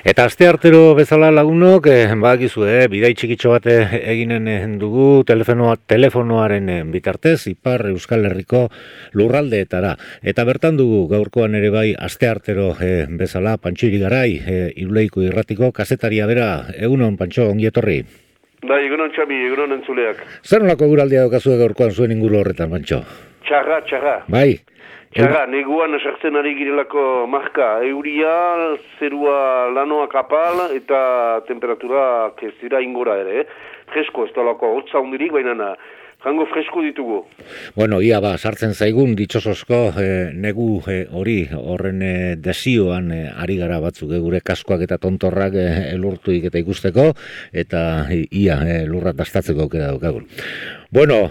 Eta asteartero bezala lagunok, badakizu, bidai txikitxo bat eginen dugu telefonoaren bitartez, Ipar Euskal Herriko lurraldeetara. Eta bertan dugu gaurkoan ere bai asteartero bezala, Pantxo Irigarai, Iruleiko irratiko kazetaria bera. Egunon, Pantxo, ongi etorri. Bai, egunon Txabi, egunon entzuleak. Zer nolako guraldia daukazue gaurkoan zuen inguru horretan, Pantxo? Txarra. Bai. Txarra, neguan sartzen ari girelako marka. Euria, zerua lanoa kapal eta temperatura ez dira ingora ere. Fresko, ez talako hotza hundirik, baina jango fresko ditugu. Bueno, ia sartzen zaigun ditxosozko negu hori horren desioan ari gara batzuk, gure kaskoak eta tontorrak elurtuik eta ikusteko, eta ia lurra dastatzeko aukera daukagun. Bueno,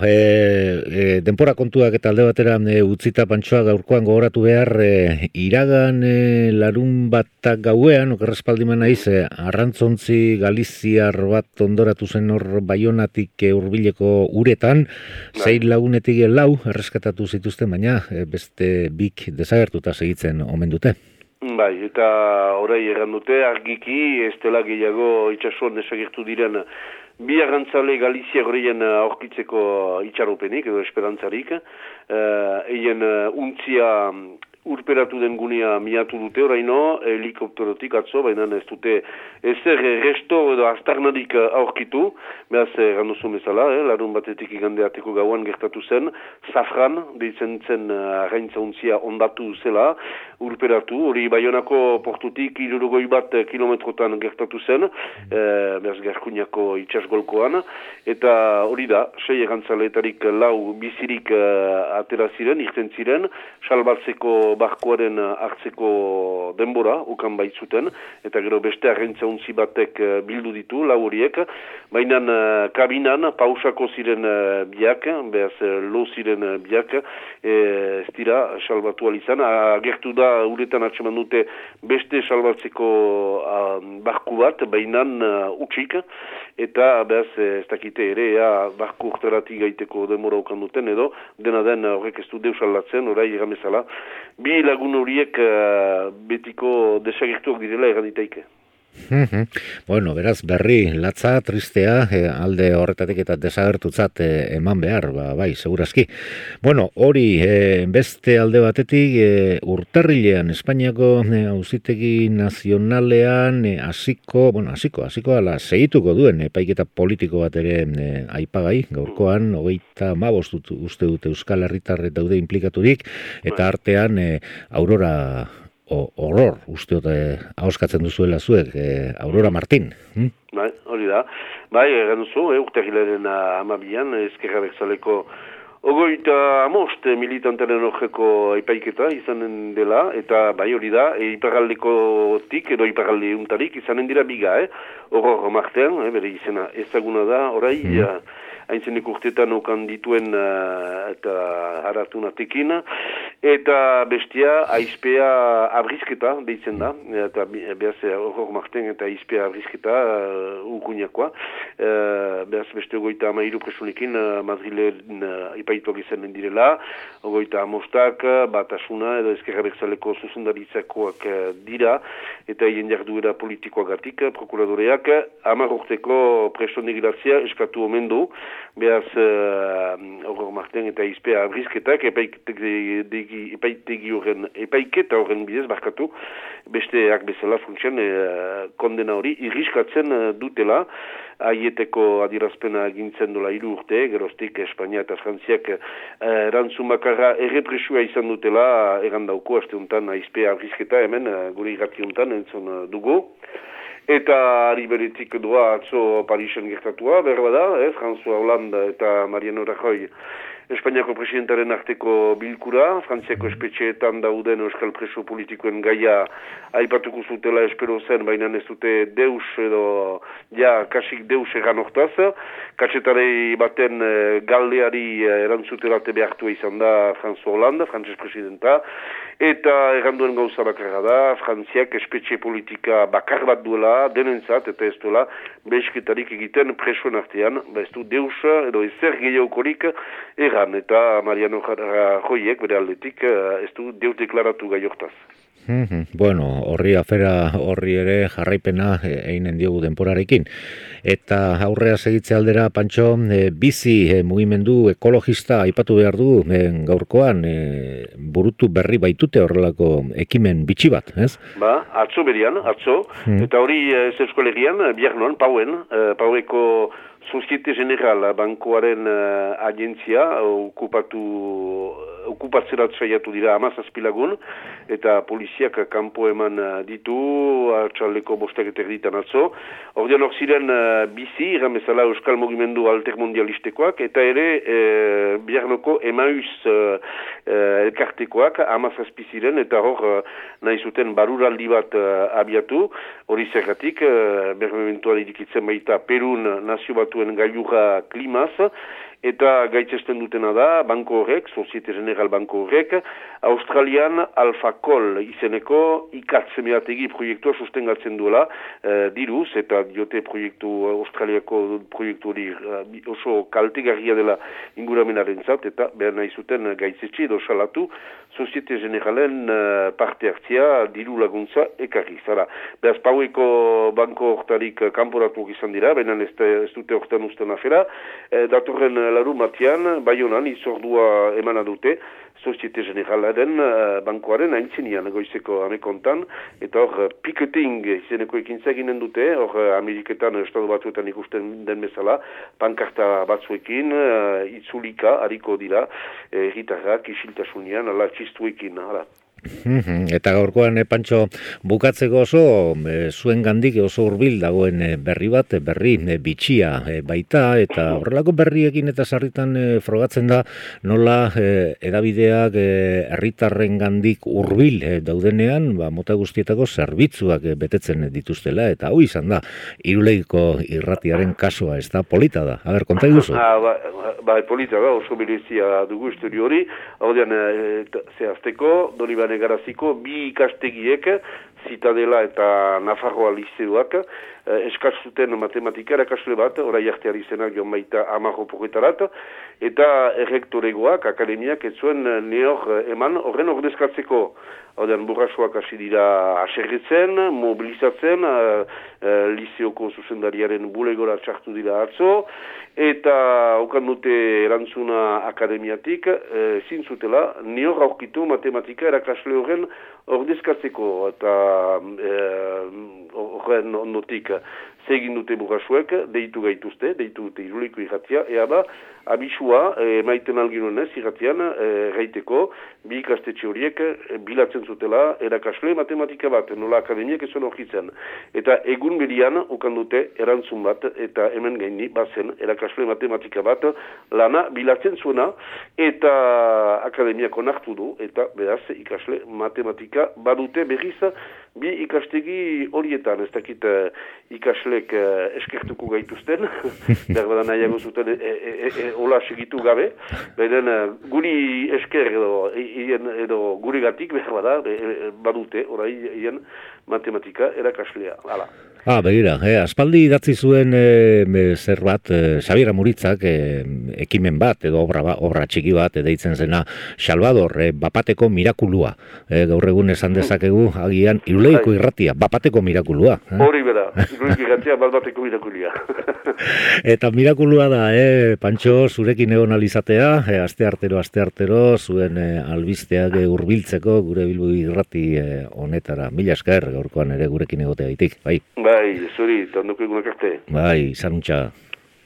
denpora kontuak eta alde batera utzita Pantxoa gaurkoan gogoratu behar, iragan larun batak gauean, okerrespaldiman naiz, arrantzontzi galiziar bat ondoratu zen hor Baionatik hurbileko uretan, 6 lagunetik 4 erreskatatu zituzten, baina beste bik desagertuta segitzen omen dute. Bai, eta orai erran dute, argiki, ez dela gehiago itxasuan desagertu diren bi arrantzale Galizia horreien aurkitzeko itxaropenik edo esperantzarik. Eien untzia urperatu den gunea miatu dute oraino, helikopterotik atzo, baina ez dute ezer resto edo astarnarik aurkitu, behaz ganduzun bezala, larun batetik igandeateko gauan gertatu zen, Zafran, deitzen zen arraintza untzia ondatu zela, urperatu, hori Baionako portutik 61 kilometrotan gertatu zen, behaz Garkuñako itxasgolkoan, eta hori da, 6 errantzaleetarik 4 bizirik atera ziren, irten ziren, salbatzeko barkoaren hartzeko denbora, ukan baitzuten, eta gero beste arrentza untzi batek bildu ditu, 4 horiek, baina kabinan pausako ziren biak, behaz lo ziren biak, ez dira salbatu alizan, agertu da uretan atseman dute beste salbatzeko barku bat, baina utxik, eta behaz ez dakite ere, barku urterati gaiteko denbora ukan duten, edo dena den horrek ez du deus aldatzen, orai egamezala, bi lagun horiek betiko desagertuak direla erraditaike. Bueno, beraz, berri, latza, tristea, alde horretatik eta desagertutzat eman behar, bai, segurazki. Bueno, hori, beste alde batetik, urtarrilean, Espainiako auzitegi nazionalean, hasiko ala segituko duen epaiketa politiko bat ere aipagai, gaurkoan, 35 uste dute Euskal Herritarre daude implikaturik, eta artean, Aurora horror, usteot ahoskatzen duzuela zuek, Aurora Martin. Bai, hori da. Bai, egan duzu, urtarrilaren 12an, Ezkerra Abertzaleko 35 militantaren horreko epaiketa izanen dela, eta bai hori da, iparraldekotik edo iparralde untarik izanen dira biga, Horror Martin, bere izena ezaguna da, orai, haintzenek urtetan okan dituen eta haratunatekin, eta bestia aizpea abrizketa deitzen da, eta behaz Horror Martin eta aizpea abrizketa ukuñakoa, behaz beste 33 presunekin Madrilen ipaituak izanen direla, 35 batasuna edo Ezkerra Abertzaleko zuzendaritzakoak dira, eta hien jarduera politikoagatik, prokuradoreak 10 urteko preso negilatzea eskatu omen du, behaz Horror Martin eta aizpea abrizketak epaiketa horren bidez barkatu, besteak bezala funtsian kondena hori irriskatzen dutela, aieteko adirazpena egintzen dola 3 urte, geroztik Espainia eta Frantziak erantzun bakarra errepresua izan dutela, erandauko aste untan aizpea abrizketa hemen, gure irrati untan entzun dugu. Eta ari beretik doa atzo Parisen gertatua, berba da, François Hollande eta Mariano Rajoy Espainiako presidentaren arteko bilkura, Frantziako espetxeetan dauden euskal preso politikoen gaia aipatuko zutela espero zen, baina ez dute deus edo kasik deus egan hortaz. Katxetarei baten galdeari erantzutelate behartua izan da François Hollande, frantzes presidenta, eta erranduen gauza bakarra da, Frantziak espetxe politika bakar bat duela, denentzat, eta ez duela, behizketarik egiten presoen artean, ez du deus edo ezer gehiagokorik egan, eta Mariano Rajoyek bere aldetik ez du deus deklaratu gai hortaz. Bueno, afera horri ere jarraipena einen diogu denporarekin. Eta aurrea segitze aldera, Pantxo, bizi mugimendu ekologista aipatu behar du gaurkoan, burutu berri baitute horrelako ekimen bitxi bat, ez? Atzo berian, eta hori ez Euskal bihar noan, Paueko Societe General bankoaren agentzia okupatzerat saiatu dira 17 lagun, eta poliziak kanpo eman ditu, atxaldeko 5:00 atzo. Ordean hor ziren bizi, irramezala Euskal Mugimendu Altermondialistekoak, eta ere biharnoko Emaus elkartekoak 17 ziren, eta hor nahi zuten baruraldi bat abiatu, hori zergatik, bermementuan irikitzen baita Perun nazio batuen gailurra klimaz, eta gaitzesten dutena da, banko horrek, Societe General banko horrek, Australian Alfacol izeneko ikatzemeategi proiektua sustengatzen duela diruz, eta diote Australiako proiektu hori oso kaltegarria dela inguramenaren zat, eta behar nahi zuten gaitzetxe edo salatu Societe Generalen parte hartzia diru laguntza ekarri. Zara, behaz Paueko banko hortarik kanporatuak izan dira, benen ez dute hortan usten afera, datorren larun batean, Baionan izordua emana dute, Societe Generalaren bankoaren aintzinian goizeko amekontan, eta hor picketing izeneko ekintza eginen dute, hor Ameriketan, Estatu Batuetan ikusten den bezala, pankarta batzuekin, itzulika, hariko dira, herritarrak, isiltasunian, ala txistuekin, ala. Eta gaurkoan, Pantxo, bukatzeko oso zuen gandik oso hurbil dagoen berri bat, berri bitxia baita, eta horrelako berriekin eta sarritan frogatzen da nola edabideak herritarren gandik hurbil daudenean, mota guztietako zerbitzuak betetzen dituztela, eta hau izan da, Iruleiko irratiaren kasua, ez da polita da. A ber, konta iguzu? Polita da, oso berezia dugu estudio hori, hau zehazteko, Donibane Garaziko, bi ikastegiek, Zitadela eta Nafarroa lizeoak, eskazuten matematika erakasle bat, orai arteari zenak joan baita 10 porretarat, eta errektoregoak, akademiak, ez zuen neor eman horren ordezkatzeko. Haudean burrasoak hasi dira aserretzen, mobilizatzen, lizeoko zuzendariaren bulegora txartu dira atzo, eta okan dute erantzuna akademiatik, zintzutela, neor aurkitu matematika erakasle horren ordezkatzeko, eta horren ondotik zegin dute burrasuek, deitu gaituzte, deitu dute Iruleiko irratia, ea da, abisua, maiten alginoen ez, irratian, gaiteko, bi ikastetxe horiek bilatzen zutela erakasle matematika bat, nola akademiak ez zuen horkitzen. Eta egun berian, okan dute erantzun bat, eta hemen gaini, bazen, erakasle matematika bat, lana bilatzen zuena, eta akademiak onartu du, eta beraz, ikasle matematika badute berriz, bi ikastegi horietan, ez dakit ikaslek eskertuko gaituzten, berbada nahiago zuten hola segitu gabe, beren guri esker edo guri gatik berbada badute, orai hien matematika erakaslea, hala. Begira, aspaldi idatzi zuen zer bat, Xabier Amuritzak ekimen bat, edo obra txiki bat, deitzen zena Salvador, bapateko mirakulua. Gaur egun esan dezakegu, agian, Iruleiko irratia, bapateko mirakulua. Hori bera, Iruleiko irratia, bapateko mirakulia. Eta mirakulua da, Pantxo, zurekin egon alizatea, aste artero, zuen albisteak hurbiltzeko gure Bilbo irrati honetara. Mila esker, gaurkoan ere gurekin egotea ditik, bai. Bai, zuri, tandoko egunak arte. Bai, zanuntza.